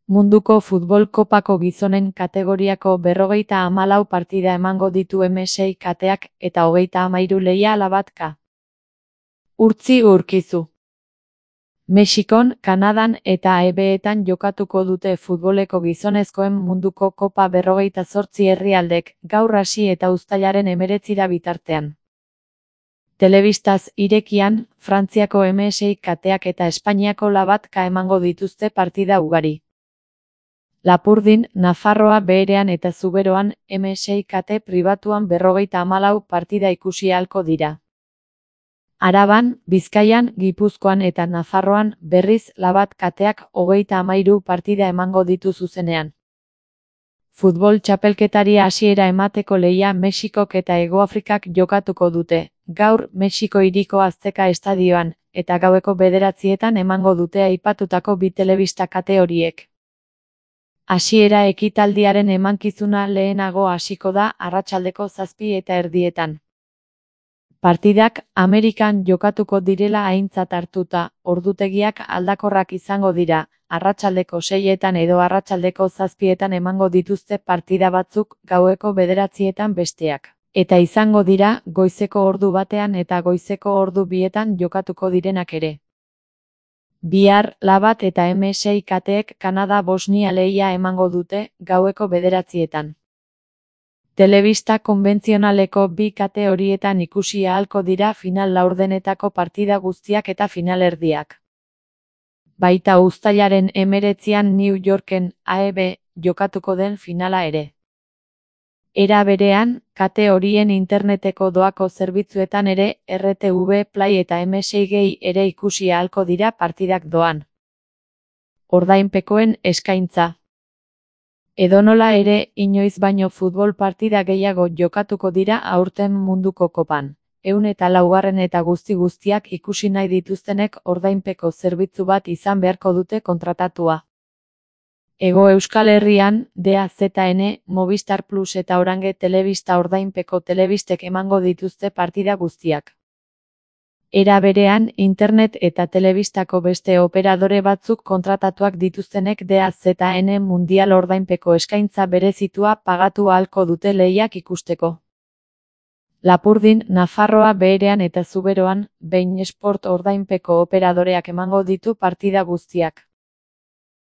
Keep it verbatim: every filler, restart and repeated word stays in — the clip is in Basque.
Munduko futbol kopako gizonen kategoriako berrogeita hamalau partida emango ditu M sei kateak eta hogeita hamairu leiala batka. Urtzi Urkizu. Mexikon, Kanadan eta A B etan jokatuko dute futboleko gizonezkoen munduko kopa berrogeita zortzi herrialdek, gaur hasi eta uztailaren hemeretzira bitartean. Telebistaz irekian, Frantziako M sei kateak eta Espainiako La batka emango dituzte partida ugari. Lapurdin, Nafarroa beherean eta Zuberoan, M sei kate pribatuan berrogeita hamalau partida ikusi ahalko dira. Araban, Bizkaian, Gipuzkoan eta Nafarroan, berriz La bat kateak hogeita hamairu partida emango ditu zuzenean. Futbol txapelketari hasiera emateko lehia Mexikok eta Hegoafrikak jokatuko dute, gaur Mexiko hiriko Azteca estadioan, eta gaueko bederatzietan emango dute aipatutako bi telebista kate horiek. Hasiera ekitaldiaren emankizuna lehenago hasiko da arratsaldeko zazpi eta erdietan. Partidak Amerikan jokatuko direla aintzat hartuta, ordutegiak aldakorrak izango dira, arratsaldeko seietan edo arratsaldeko zazpietan emango dituzte partida batzuk, gaueko bederatzietan besteak. Eta izango dira, goizeko ordu batean eta goizeko ordu bietan jokatuko direnak ere. Bihar, La bat eta M sei kateek Kanada-Bosnia lehia emango dute, gaueko bederatzietan. Telebista konbentzionaleko bi kate horietan ikusi ahalko dira final laurdenetako partida guztiak eta finalerdiak. Baita uztailaren hemeretzian New Yorken, A E B, jokatuko den finala ere. Era berean, kate horien interneteko doako zerbitzuetan ere, R T V Play eta M sei Gay ere ikusi ahalko dira partidak doan. Ordainpekoen eskaintza. Edonola ere, inoiz baino futbol partida gehiago jokatuko dira aurten munduko kopan. Ehun eta laugarren eta guzti guztiak ikusi nahi dituztenek ordainpeko zerbitzu bat izan beharko dute kontratatua. Hego Euskal Herrian, D A Z N, Movistar Plus eta Orange telebista ordainpeko telebistek emango dituzte partida guztiak. Era berean, internet eta telebistako beste operadore batzuk kontratatuak dituztenek D A Z N mundial ordainpeko eskaintza berezitua pagatu ahalko dute lehiak ikusteko. Lapurdin, Nafarroa beherean eta Zuberoan, bein esport ordainpeko operadoreak emango ditu partida guztiak.